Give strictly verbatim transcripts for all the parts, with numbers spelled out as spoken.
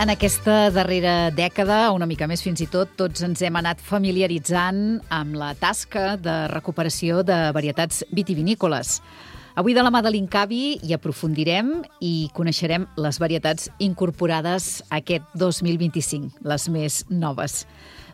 En aquesta darrera dècada, una mica més fins i tot, tots ens hem anat familiaritzant amb la tasca de recuperació de varietats vitivinícoles. Avui de la mà de l'Incavi hi aprofundirem i coneixerem les varietats incorporades aquest dos mil vint-i-cinc, les més noves.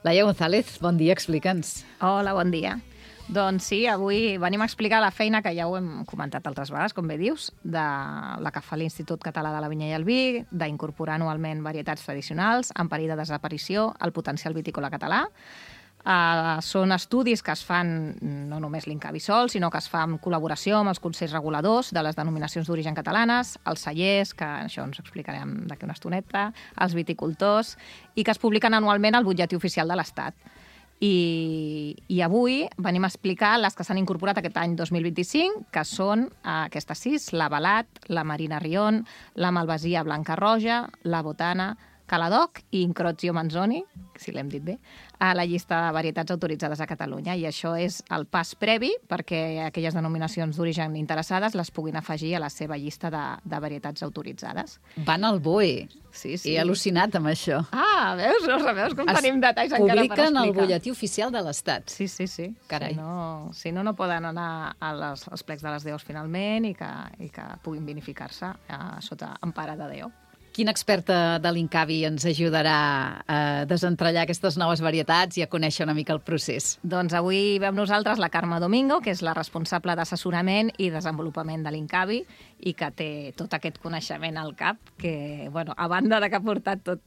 Laia González, bon dia, explica'ns. Hola, bon dia. Doncs sí, avui venim a explicar la feina que ja ho hem comentat altres vegades, com bé dius, de la que fa l'Institut Català de la Vinya i el Vi, d'incorporar anualment varietats tradicionals en perill de desaparició al potencial vitícola català. Uh, són estudis que es fan no només l'Incavi sol, sinó que es fa en col·laboració amb els consells reguladors de les denominacions d'origen catalanes, els cellers, que això ens explicarem d'aquí una estoneta, els viticultors, i que es publiquen anualment al butlletí oficial de l'Estat. I, i avui venim a explicar les que s'han incorporat aquest any dos mil vint-i-cinc, que són eh, aquestes sis: la Balat, la Marina Rion, la Malvasia Blanca Roja, la Botana, Caladoc i Incrozio Manzoni, si l'hem dit bé, a la llista de varietats autoritzades a Catalunya. I això és el pas previ perquè aquelles denominacions d'origen interessades les puguin afegir a la seva llista de, de varietats autoritzades. Van al B O E. Sí, sí. He al·lucinat amb això. Ah, veus? No veus com Es tenim detalls encara per explicar. Publiquen al butlletí oficial de l'Estat. Sí, sí, sí. Carai. Si no, si no, no poden anar a les, als plecs de les D Os finalment i que, i que puguin vinificar-se eh, sota empara de D O. Quin experta de l'Incavi ens ajudarà a desentrellar aquestes noves varietats i a conèixer una mica el procés? Doncs avui ve amb nosaltres la Carme Domingo, que és la responsable d'assessorament i desenvolupament de l'Incavi i que té tot aquest coneixement al cap, que, bueno, a banda de que ha portat tot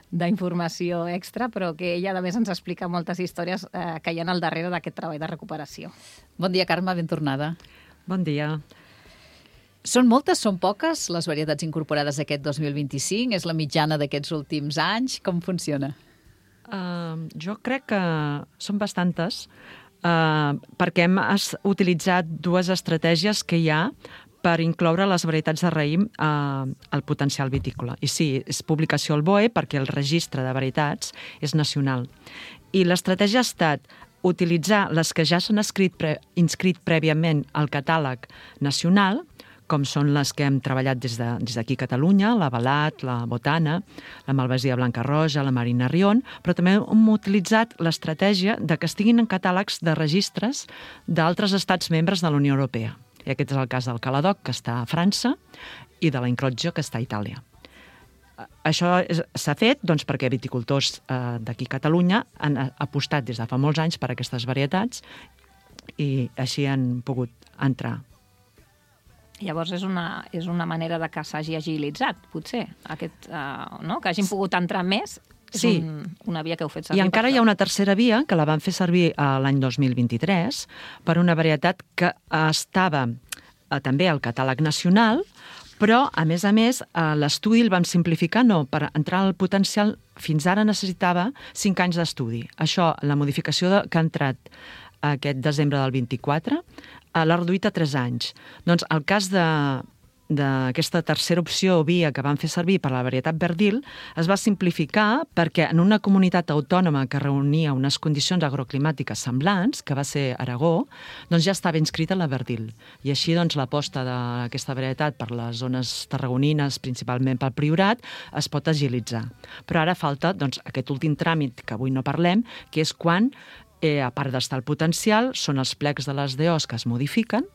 d'informació extra, però que ella, a més, ens explica moltes històries eh, que hi ha al darrere d'aquest treball de recuperació. Bon dia, Carme, ben tornada. Bon dia. Són moltes, són poques, les varietats incorporades aquest dos mil vint-i-cinc? És la mitjana d'aquests últims anys? Com funciona? Uh, jo crec que són bastantes, uh, perquè hem utilitzat dues estratègies que hi ha per incloure les varietats de raïm uh, al potencial vitícola. I sí, és publicació al B O E perquè el registre de varietats és nacional. I l'estratègia ha estat utilitzar les que ja s'han inscrit, pre inscrit prèviament al catàleg nacional, com són les que hem treballat des d'aquí de, a Catalunya, la Balat, la Botana, la Malvasia Blanca Roja, la Marina Rion, però també hem utilitzat l'estratègia de que estiguin en catàlegs de registres d'altres estats membres de la Unió Europea. I aquest és el cas del Caladoc, que està a França, i de la Incrozio, que està a Itàlia. Això s'ha fet doncs, perquè viticultors eh, d'aquí a Catalunya han apostat des de fa molts anys per aquestes varietats i així han pogut entrar. Llavors és una, és una manera de que s'hagi agilitzat, potser, aquest, uh, no? Que hagin pogut entrar més. És sí. un, una via que heu fet servir. I encara hi ha una tercera via, que la van fer servir l'any dos mil vint-i-tres, per una varietat que estava uh, també al catàleg nacional, però, a més a més, uh, l'estudi el vam simplificar, no, per entrar al potencial, fins ara necessitava cinc anys d'estudi. Això, la modificació de, que ha entrat aquest desembre del vint-i-quatre, l'ha reduït a tres anys. Doncs el cas d'aquesta tercera opció o via que van fer servir per la varietat Verdil es va simplificar perquè en una comunitat autònoma que reunia unes condicions agroclimàtiques semblants, que va ser Aragó, doncs ja estava inscrita la Verdil. I així doncs l'aposta d'aquesta varietat per les zones tarragonines, principalment pel Priorat, es pot agilitzar. Però ara falta doncs, aquest últim tràmit que avui no parlem, que és quan Eh, a part d'estar el potencial, són els plecs de les D Os que es modifiquen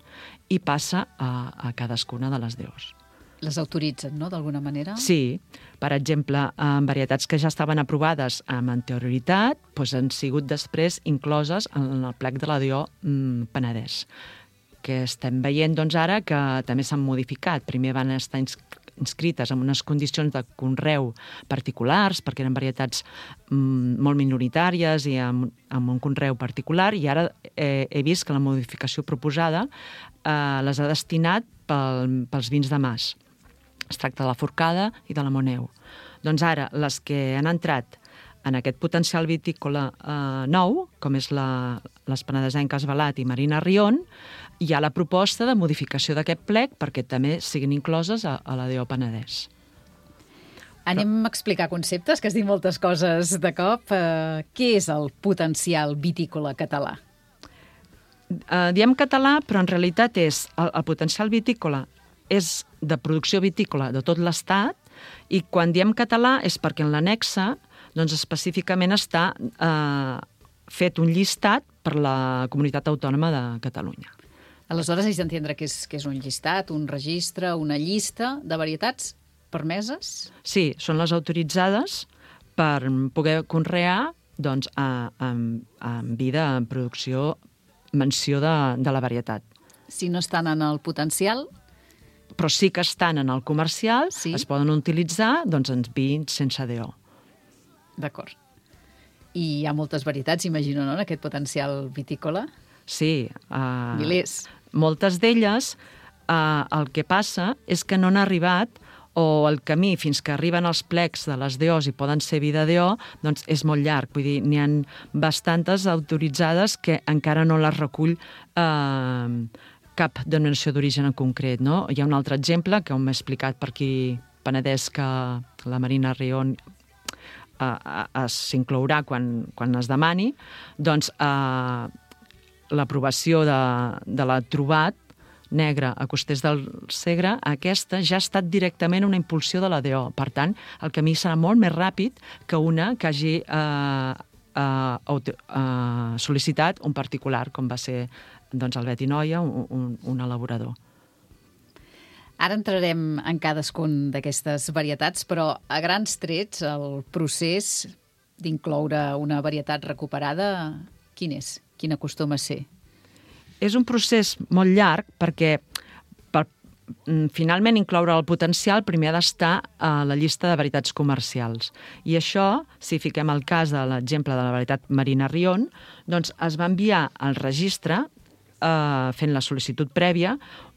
i passa a, a cadascuna de les D Os. Les autoritzen, no?, d'alguna manera? Sí. Per exemple, en varietats que ja estaven aprovades amb anterioritat, doncs han sigut després incloses en el plec de la D O mm, Penedès, que estem veient doncs, ara que també s'han modificat. Primer van estar inscrits inscrites en unes condicions de conreu particulars, perquè eren varietats mm, molt minoritàries i amb, amb un conreu particular, i ara eh, he vist que la modificació proposada eh, les ha destinat pel, pels vins de mas. Es tracta de la Forcada i de la Moneu. Doncs ara, les que han entrat en aquest potencial vitícola eh, nou, com és la, les penedesenques Balat i Marina Rion, hi ha la proposta de modificació d'aquest plec perquè també siguin incloses a, a la D O Penedès. Anem a explicar conceptes, que has dit moltes coses de cop. Uh, què és el potencial vitícola català? Uh, diem català, però en realitat és el, el potencial vitícola és de producció vitícola de tot l'Estat, I quan diem català és perquè en l'annexa doncs, específicament està eh, fet un llistat per la Comunitat Autònoma de Catalunya. Aleshores, haig d'entendre que és, que és un llistat, un registre, una llista de varietats permeses? Sí, són les autoritzades per poder conrear doncs, a, a, a vida en producció, menció de, de la varietat. Si no estan en el potencial... Però sí que estan en el comercial, sí? Es poden utilitzar doncs, en vins sense D O. D'acord. I hi ha moltes varietats, imagino, no?, en aquest potencial vitícola? Sí. Uh, Milers. Moltes d'elles, uh, el que passa és que no han arribat, o el camí fins que arriben els plecs de les D Os i poden ser vi de D O, doncs és molt llarg. Vull dir, n'hi ha bastantes autoritzades que encara no les recull eh, cap denominació d'origen en concret, no? Hi ha un altre exemple que m'ha explicat per aquí Penedès que la Marina Rion eh, s'inclourà quan, quan es demani, doncs eh, l'aprovació de, de la Trobat negre a Costers del Segre, aquesta ja ha estat directament una impulsió de la D O. Per tant, el camí serà molt més ràpid que una que hagi eh, eh, eh, sol·licitat un particular, com va ser doncs, el Beti Noia, un, un, un elaborador. Ara entrarem en cadascun d'aquestes varietats, però a grans trets el procés d'incloure una varietat recuperada, quin és? Quin acostuma a ser? És un procés molt llarg perquè per finalment incloure el potencial primer ha d'estar a la llista de varietats comercials. I això, si fiquem el cas de l'exemple de la varietat Marina Rion, doncs es va enviar al registre, eh, fent la sol·licitud prèvia,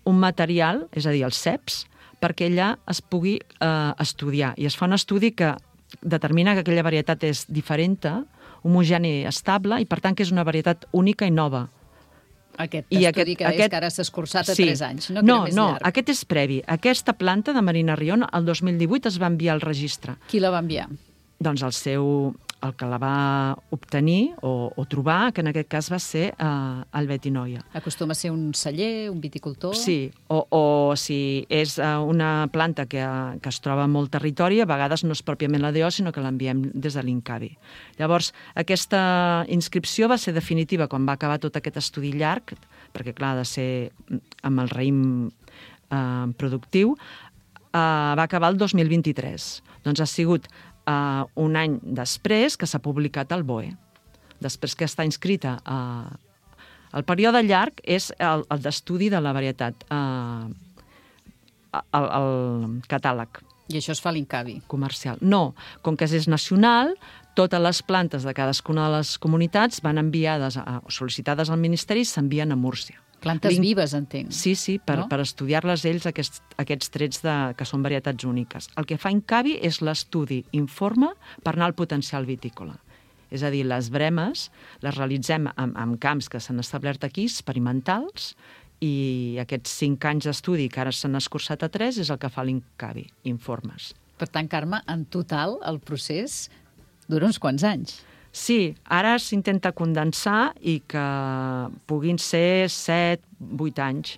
un material, és a dir, els C E Ps, perquè allà es pugui eh, estudiar. I es fa un estudi que determina que aquella varietat és diferent, homogènia i estable, i per tant que és una varietat única i nova. Aquest I estudi aquest, que deies aquest, que ara s'ha escurçat a sí. tres anys, no? No, més no, llarg. aquest és previ. Aquesta planta de Marina Rion, el dos mil divuit es va enviar al registre. Qui la va enviar? Doncs el seu, el que la va obtenir o, o trobar, que en aquest cas va ser eh, el Beti Noia. Acostuma a ser un celler, un viticultor? Sí, o, o si és eh, una planta que, que es troba en molt territori, a vegades no és pròpiament la D O, sinó que l'enviem des de l'Incavi. Llavors, aquesta inscripció va ser definitiva quan va acabar tot aquest estudi llarg, perquè, clar, ha de ser amb el raïm eh, productiu, eh, va acabar el dos mil vint-i-tres. Doncs ha sigut Uh, un any després que s'ha publicat el B O E. Després que està inscrita. Uh, el període llarg és el, el d'estudi de la varietat, uh, el, el catàleg. I això es fa a l'Incavi? Comercial. No, com que és nacional, totes les plantes de cadascuna de les comunitats van enviades, a, sol·licitades al Ministeri, s'envien a Múrcia. Plantes vives, entenc. Sí, sí, per, no? per estudiar-les ells, aquests, aquests trets de, que són varietats úniques. El que fa Incavi és l'estudi informe per anar al potencial vitícola. És a dir, les bremes les realitzem en, en camps que s'han establert aquí, experimentals, i aquests cinc anys d'estudi que ara s'han escurçat a tres és el que fa l'Incavi, informes. Per tant, Carme, en total el procés dura uns quants anys. Sí, ara s'intenta condensar i que puguin ser set, vuit anys,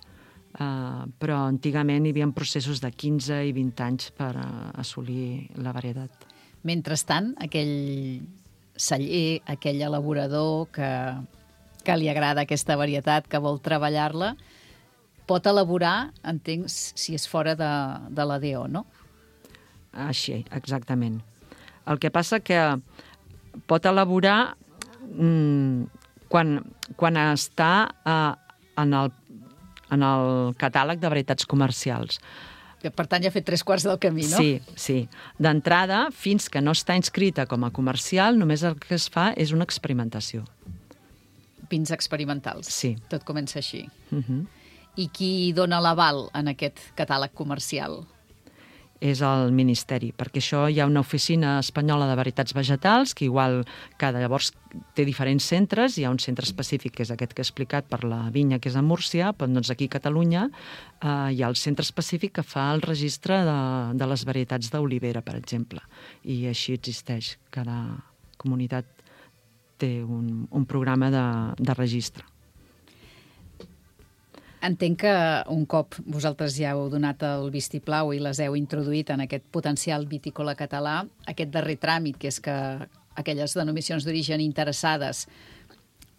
uh, però antigament hi havia processos de quinze i vint anys per uh, assolir la varietat. Mentrestant, aquell celler, aquell elaborador que, que li agrada aquesta varietat, que vol treballar-la, pot elaborar, entenc, si és fora de, de la D O, no? Així, exactament. El que passa que pot elaborar mmm, quan, quan està eh, en, el, en el catàleg de varietats comercials. Per tant, ja ha fet tres quarts del camí, no? Sí, sí. D'entrada, fins que no està inscrita com a comercial, només el que es fa és una experimentació. Vins experimentals. Sí. Tot comença així. Uh-huh. I qui dona l'aval en aquest catàleg comercial? És el Ministeri, perquè això hi ha una oficina espanyola de varietats vegetals que igual cada llavors té diferents centres, hi ha un centre específic que és aquest que he explicat per la vinya que és a Múrcia, però doncs aquí a Catalunya eh, hi ha el centre específic que fa el registre de, de les varietats d'olivera, per exemple, i així existeix. Cada comunitat té un, un programa de, de registre. Entenc que un cop vosaltres ja heu donat el vistiplau i les heu introduït en aquest potencial vitícola català, aquest darrer tràmit, que és que aquelles denominacions d'origen interessades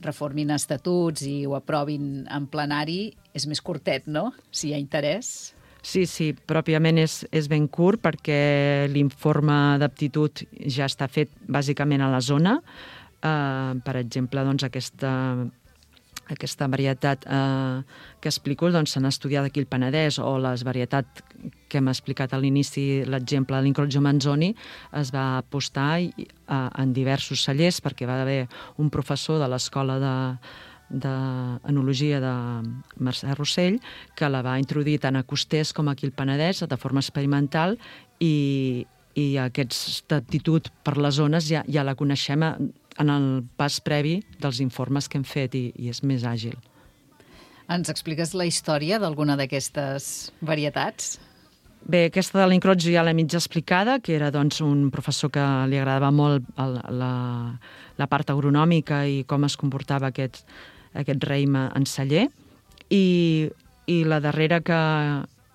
reformin estatuts i ho aprovin en plenari, és més curtet, no?, si hi ha interès. Sí, sí, pròpiament és, és ben curt perquè l'informe d'aptitud ja està fet bàsicament a la zona. Uh, per exemple, doncs, aquesta... aquesta varietat eh, que explico doncs, s'han estudiat aquí al Penedès, o les varietats que hem explicat a l'inici, l'exemple de l'Incrocio Manzoni, es va apostar i, eh, en diversos cellers perquè va haver un professor de l'escola de d'enologia de Mercè Rossell que la va introduir tant a Costers com aquí al Penedès de forma experimental i, i aquesta aptitud per les zones ja, ja la coneixem a, en el pas previ dels informes que hem fet i, i és més àgil. Ens expliques la història d'alguna d'aquestes varietats? Bé, aquesta de l'Incrocio ja l'he mig explicada, que era doncs, un professor que li agradava molt el, la, la part agronòmica i com es comportava aquest, aquest raïm en celler. I, i la darrera que,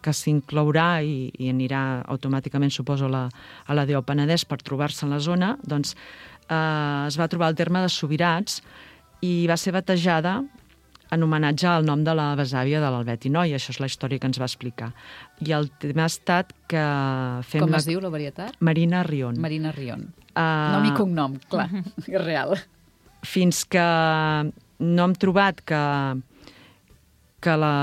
que s'inclourà i, i anirà automàticament, suposo, a la, a la D O Penedès per trobar-se en la zona, doncs eh, es va trobar el terme de Subirats i va ser batejada en homenatge al nom de la besàvia de l'Albet i Noi. Això és la història que ens va explicar. I el tema ha estat que fem... Com la... es diu la varietat? Marina Rion. Marina Rion. Uh... Nom i cognom, clar, és real. Fins que no hem trobat que, que la,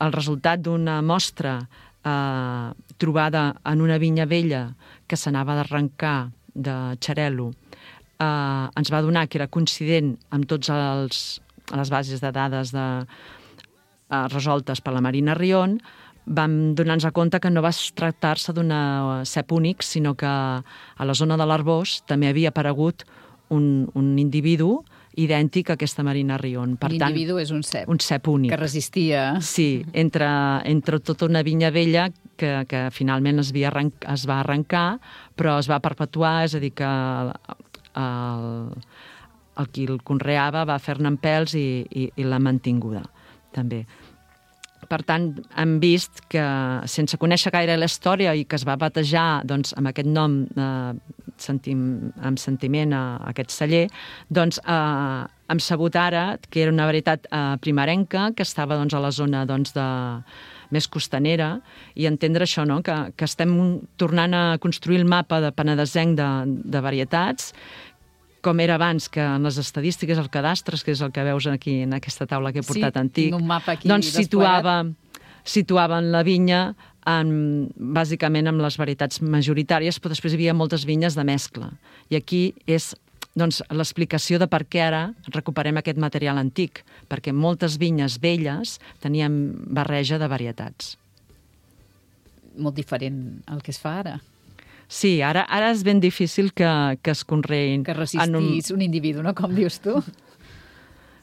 el resultat d'una mostra eh, trobada en una vinya vella que s'anava d'arrencar de Xarel·lo eh, ens va donar que era coincident amb tots els les bases de dades de, eh, resoltes per la Marina Rion, vam donar-nos compte que no va tractar-se d'una cep únic, sinó que a la zona de l'Arbós també havia aparegut un, un individu idèntic a aquesta Marina Rion. Per L'individu tant, és un cep. Un cep únic. Que resistia. Sí, entre, entre tota una vinya vella que, que finalment es, havia arrenc, es va arrencar, però es va perpetuar, és a dir, que el, el, el qui el conreava va fer-ne en pèls i, i, i l'ha mantinguda, també. Per tant, hem vist que, sense conèixer gaire la història i que es va batejar doncs, amb aquest nom, eh, sentim, amb sentiment a, a aquest celler, doncs eh, hem sabut ara que era una varietat eh, primerenca que estava doncs, a la zona doncs, de, més costanera, i entendre això, no? que, que estem tornant a construir el mapa de penedesenc de, de varietats, com era abans, que en les estadístiques, el cadastres, que és el que veus aquí en aquesta taula que he portat sí, antic, un mapa aquí doncs situava, situava en la vinya en, bàsicament amb les varietats majoritàries, però després hi havia moltes vinyes de mescla. I aquí és doncs, l'explicació de per què ara recuperem aquest material antic, perquè moltes vinyes velles tenien barreja de varietats. Molt diferent al que es fa ara. Sí, ara, ara és ben difícil que, que es conreïn. Que resistís un... un individu, no? Com dius tu.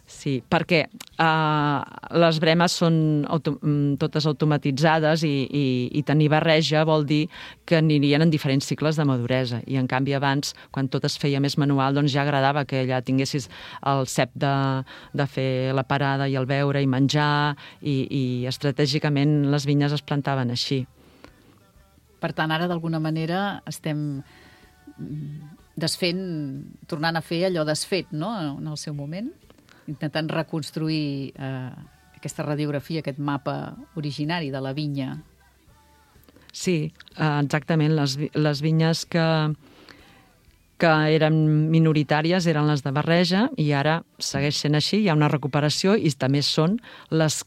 Sí, perquè uh, les bremes són auto totes automatitzades i, i, i tenir barreja vol dir que anirien en diferents cicles de maduresa. I, en canvi, abans, quan tot es feia més manual, doncs ja agradava que ja tinguessis el cep de, de fer la parada i el beure i menjar, i, i estratègicament les vinyes es plantaven així. Per tant, ara, d'alguna manera, estem desfent, tornant a fer allò desfet, no?, en el seu moment, intentant reconstruir eh, aquesta radiografia, aquest mapa originari de la vinya. Sí, exactament. Les, les vinyes que, que eren minoritàries eren les de barreja i ara segueix sent així, hi ha una recuperació i també són les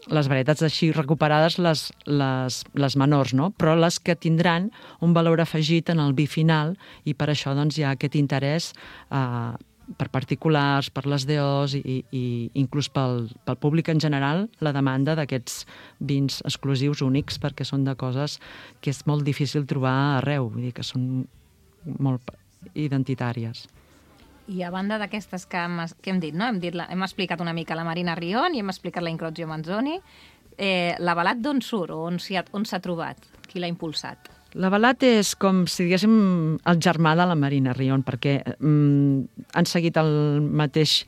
les varietats així recuperades, les, les, les menors, no? Però les que tindran un valor afegit en el vi final, i per això doncs, hi ha aquest interès eh, per particulars, per les D Os i, i inclús pel, pel públic en general, la demanda d'aquests vins exclusius únics, perquè són de coses que és molt difícil trobar arreu, vull dir que són molt identitàries. I a banda d'aquestes que, hem, que hem dit, no? hem, dit la, hem explicat una mica la Marina Rion i hem explicat la Incrocio Manzoni, eh, l'Avalat d'on surt o on s'ha trobat? Qui l'ha impulsat? L'Avalat és com si diguéssim el germà de la Marina Rion, perquè mm, han seguit el mateix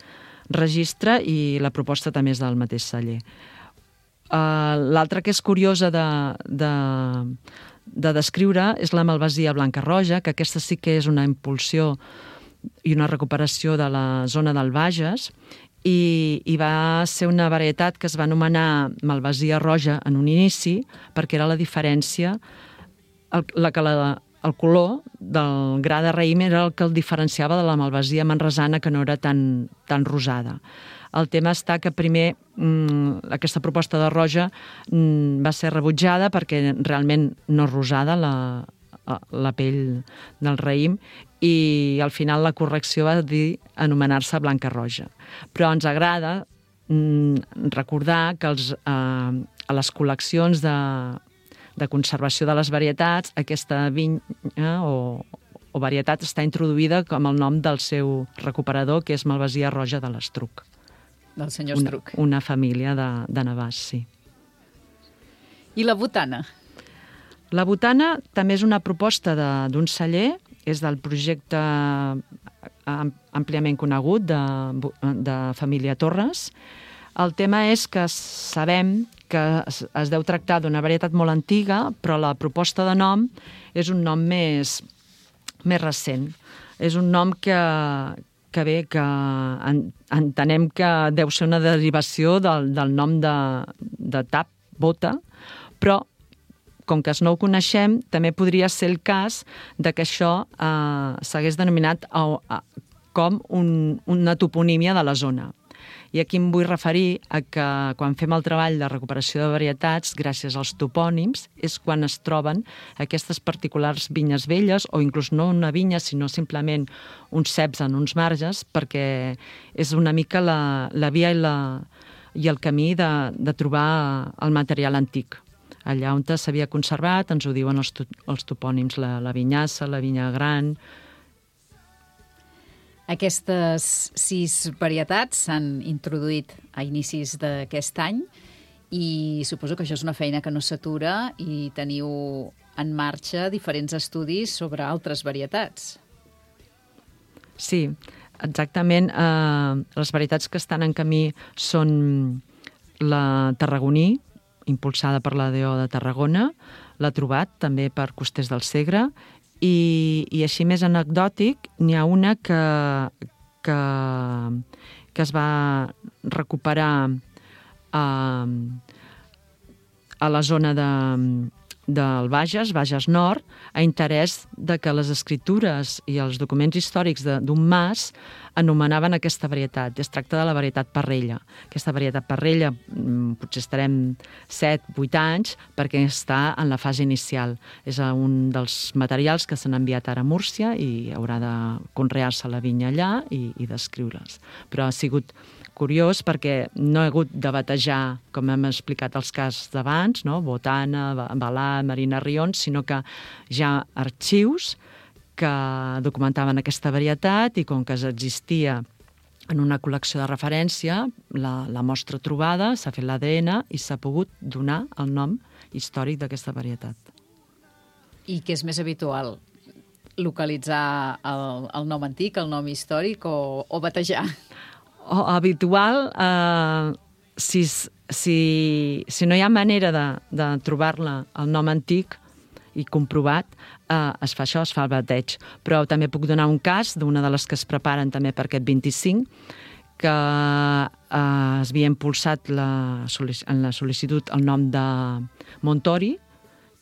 registre i la proposta també és del mateix celler. Uh, L'altra que és curiosa de, de, de descriure és la malvasia blanca roja, que aquesta sí que és una impulsió i una recuperació de la zona del Bages, i, i va ser una varietat que es va anomenar malvasia roja en un inici, perquè era la diferència, el, la que la, el color del gra de raïm era el que el diferenciava de la malvasia manresana, que no era tan, tan rosada. El tema està que primer mmm, aquesta proposta de roja mmm, va ser rebutjada perquè realment no és rosada la, la pell del raïm, i al final la correcció va dir anomenar-se blanca roja. Però ens agrada mmm, recordar que els, eh, a les col·leccions de, de conservació de les varietats, aquesta vinya o, o varietat està introduïda com el nom del seu recuperador, que és malvasia roja de l'Estruc. Del senyor Estruc. Una, una família de, de Navàs, sí. I la botana? La botana també és una proposta d'un celler, és del projecte àmpliament conegut de, de Família Torres. El tema és que sabem que es, es deu tractar d'una varietat molt antiga, però la proposta de nom és un nom més, més recent. És un nom que, que bé, que en, entenem que deu ser una derivació del, del nom de, de tap, bota, però com que no ho coneixem, també podria ser el cas de que això eh, s'hagués denominat a, a, com un, una toponímia de la zona. I aquí em vull referir a que quan fem el treball de recuperació de varietats, gràcies als topònims, és quan es troben aquestes particulars vinyes velles, o inclús no una vinya, sinó simplement uns ceps en uns marges, perquè és una mica la, la via i, la, i el camí de, de trobar el material antic. Allà on s'havia conservat, ens ho diuen els, to, els topònims, la, la vinyassa, la vinya gran. Aquestes sis varietats s'han introduït a inicis d'aquest any i suposo que això és una feina que no s'atura i teniu en marxa diferents estudis sobre altres varietats. Sí, exactament. Eh, les varietats que estan en camí són la tarragoní, impulsada per l'A D O de Tarragona, l'ha trobat també per Costers del Segre, i, i així més anecdòtic, n'hi ha una que, que, que es va recuperar a, a la zona de, del Bages, Bages Nord, a interès de que les escritures i els documents històrics d'un mas anomenaven aquesta varietat. Es tracta de la varietat Parrella. Aquesta varietat Parrella potser estarem set vuit anys perquè està en la fase inicial. És un dels materials que s'han enviat ara a Múrcia i haurà de conrear-se la vinya allà i, i descriure's. Però ha sigut curiós perquè no he hagut de batejar, com hem explicat els casos d'abans, no? Botana, Balà, Marina Rions, sinó que ja arxius que documentaven aquesta varietat i com que existia en una col·lecció de referència, la, la mostra trobada, s'ha fet l'A D N i s'ha pogut donar el nom històric d'aquesta varietat. I què és més habitual? Localitzar el, el nom antic, el nom històric o, o batejar? O, habitual, eh, si, si, si no hi ha manera de, de trobar-la el nom antic i comprovat, eh, es fa això, es fa el bateig. Però també puc donar un cas d'una de les que es preparen també per aquest vint-i-cinc, que eh, es havia impulsat la, en la sol·licitud el nom de Montori,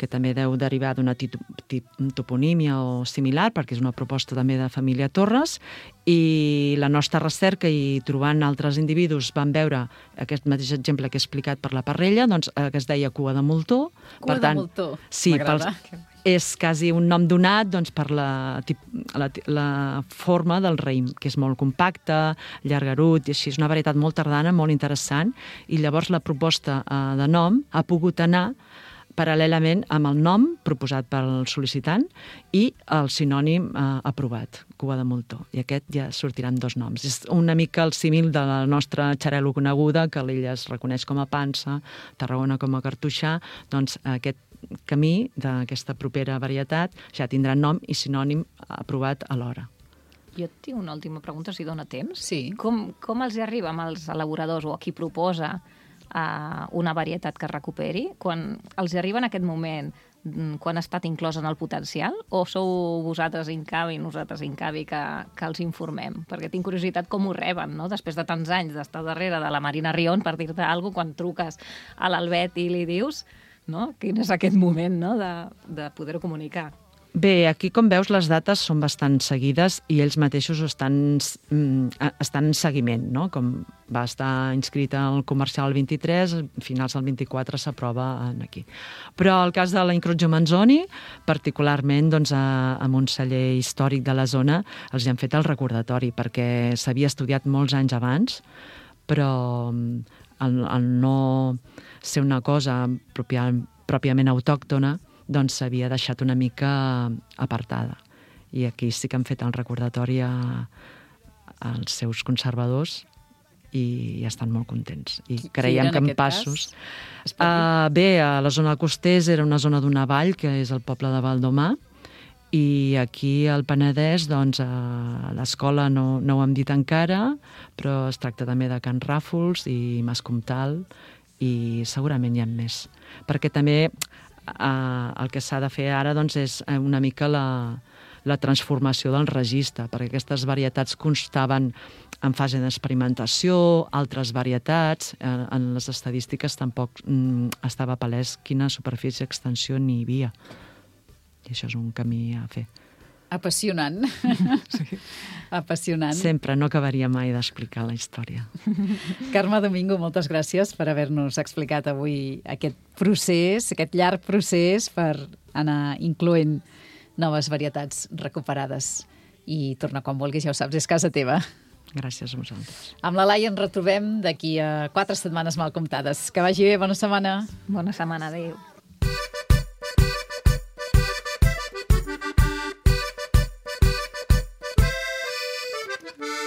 que també deu derivar d'una toponímia o similar, perquè és una proposta també de Família Torres, i la nostra recerca i trobant altres individus van veure aquest mateix exemple que he explicat per la Parrella, doncs, eh, que es deia cua de moltó. Cua per de tant, moltó, sí, m'agrada. És quasi un nom donat doncs, per la, la, la forma del raïm, que és molt compacte, llargarut, i així és una varietat molt tardana, molt interessant, i llavors la proposta eh, de nom ha pogut anar paral·lelament amb el nom proposat pel sol·licitant i el sinònim eh, aprovat, cua de moltó. I aquest ja sortiran dos noms. És una mica el símil de la nostra xarel·lo coneguda, que l'illa es reconeix com a Pansa, Tarragona com a Cartoixà, doncs aquest camí d'aquesta propera varietat ja tindrà nom i sinònim aprovat alhora. Jo tinc una última pregunta, si dona temps. Sí. Com, com els hi arriba amb els elaboradors o a qui proposa uh, una varietat que es recuperi? Quan els arriba en aquest moment, quan ha estat inclòs en el potencial, o sou vosaltres Incavi, nosaltres Incavi, que, que els informem? Perquè tinc curiositat com ho reben, no? Després de tants anys d'estar darrere de la Marina Rion, per dir-te alguna cosa, quan truques a l'Albet i li dius, no? Quin és aquest moment, no? de, de poder-ho comunicar. Bé, aquí, com veus, les dates són bastant seguides i ells mateixos estan, estan en seguiment, no? Com va estar inscrita al comercial el vint-i-tres, a finals del vint-i-quatre s'aprova aquí. Però el cas de la Incrocio Manzoni, particularment doncs, a, amb un celler històric de la zona, els han fet el recordatori, perquè s'havia estudiat molts anys abans, però el, el no ser una cosa pròpia, pròpiament autòctona, doncs s'havia deixat una mica apartada. I aquí sí que han fet el recordatori a, als seus conservadors i estan molt contents. I Qui, creiem qui que en passos... Uh, bé, a la zona de Costers era una zona d'una vall, que és el poble de Valdomà, i aquí al Penedès, doncs, a l'escola no, no ho hem dit encara, però es tracta també de Can Ràfols i Mas Comtal, i segurament hi ha més. Perquè també Uh, el que s'ha de fer ara doncs, és una mica la, la transformació del registre, perquè aquestes varietats constaven en fase d'experimentació, altres varietats, uh, en les estadístiques tampoc um, estava palès quina superfície d'extensió n'hi havia. I això és un camí a fer. Apassionant. Sí. Apassionant. Sempre, no acabaria mai d'explicar la història. Carme Domingo, moltes gràcies per haver-nos explicat avui aquest procés, aquest llarg procés per anar incloent noves varietats recuperades. I torna quan vulguis, ja ho saps, és casa teva. Gràcies a vosaltres. Amb la Laia ens retrobem d'aquí a quatre setmanes mal comptades. Que vagi bé, bona setmana. Bona setmana, adéu.